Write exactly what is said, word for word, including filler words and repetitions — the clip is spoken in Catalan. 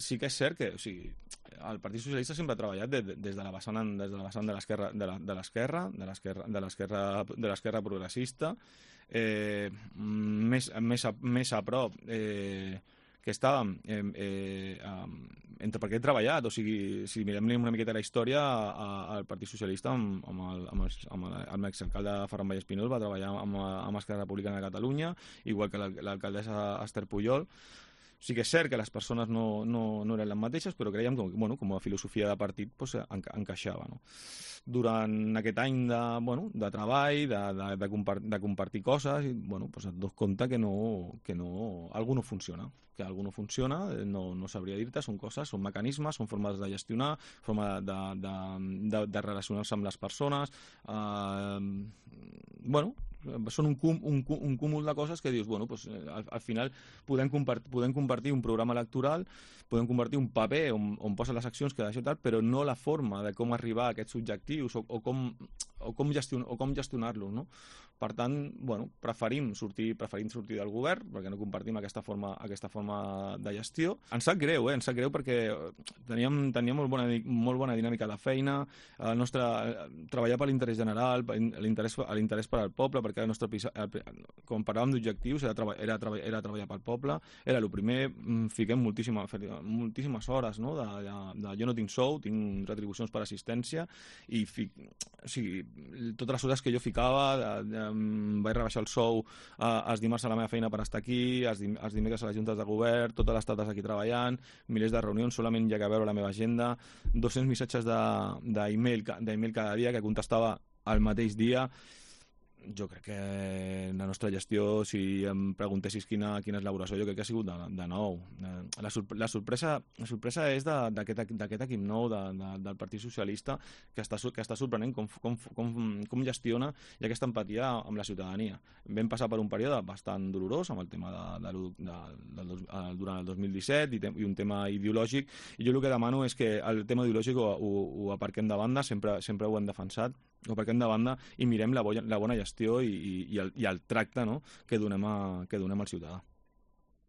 sí que és cert que, o sigui, el Partit Socialista sempre ha treballat de, de, des de la vessant, des de la vessant de l'esquerra de la- de l'esquerra de l'esquerra de l'esquerra de l'esquerra progressista, eh, més, més, a, més a prop eh, que estàvem eh, eh, eh, entre perquè he treballat, o sigui, si mirem una miqueta la història, a, al Partit Socialista amb, amb, el, amb, el, amb, el, amb l'exalcalde Ferran Vallespinós va treballar amb, amb Esquerra Republicana de Catalunya, igual que l'alcaldessa Esther Pujol. Sí que és cert que les persones no, no, no eren les mateixes, però creiem que, bueno, com a filosofia de partit pues, enca encaixava. No? Durant aquest any de, bueno, de treball, de, de, de, compar de compartir coses, i, bueno, pues et dones compte que, no, que no, algú no funciona, que algú no funciona, no, no sabria dir-te, són coses, són mecanismes, són formes de gestionar, forma de, de, de, de relacionar-se amb les persones, eh, bueno, són un, cum, un, un cúmul de coses que dius, bueno, pues, al, al final podem, compart podem compartir un programa electoral, podem compartir un paper on, on posen les accions que d'això tal, però no la forma de com arribar a aquests objectius o, o com, o com, gestion o com gestionar-los, no? Per tant, bueno, preferim sortir, preferim sortir del govern perquè no compartim aquesta forma, aquesta forma de gestió. Ens sap greu, eh? Ens sap greu perquè teníem, teníem molt, bona, molt bona dinàmica de feina, el nostre, treballar per l'interès general, l'interès per al poble, perquè el nostre, quan parlàvem d'objectius era, treba, era, treba, era treballar pel poble, era el primer, fiquem moltíssima, moltíssimes hores, no? de, de, de, jo no tinc sou, tinc retribucions per assistència, i fic, o sigui, totes les hores que jo ficava, de, de, vaig rebaixar el sou eh, els dimarts a la meva feina per estar aquí, els, dim els dimecres a les juntes de govern, totes les tardes aquí treballant, milers de reunions, solament hi ha que veure la meva agenda, dos-cents missatges d'e-mail de, cada dia que contestava el mateix dia. Jo crec que la nostra gestió, si em preguntessis quina, quina és l'elaboració, jo crec que ha sigut de, de nou. La, sorp la, sorpresa, la sorpresa és d'aquest equip nou de, de, del Partit Socialista que està, que està sorprenent com, com, com, com gestiona i aquesta empatia amb la ciutadania. Vam passar per un període bastant dolorós amb el tema de, de, de, de, de, durant el dos mil disset i, i un tema ideològic, i jo el que demano és que el tema ideològic ho, ho, ho aparquem de banda, sempre, sempre ho hem defensat, ho aparquem de banda i mirem la, bo la bona gestió i, i, i, el, i el tracte, no? que, donem a, que donem al ciutadà.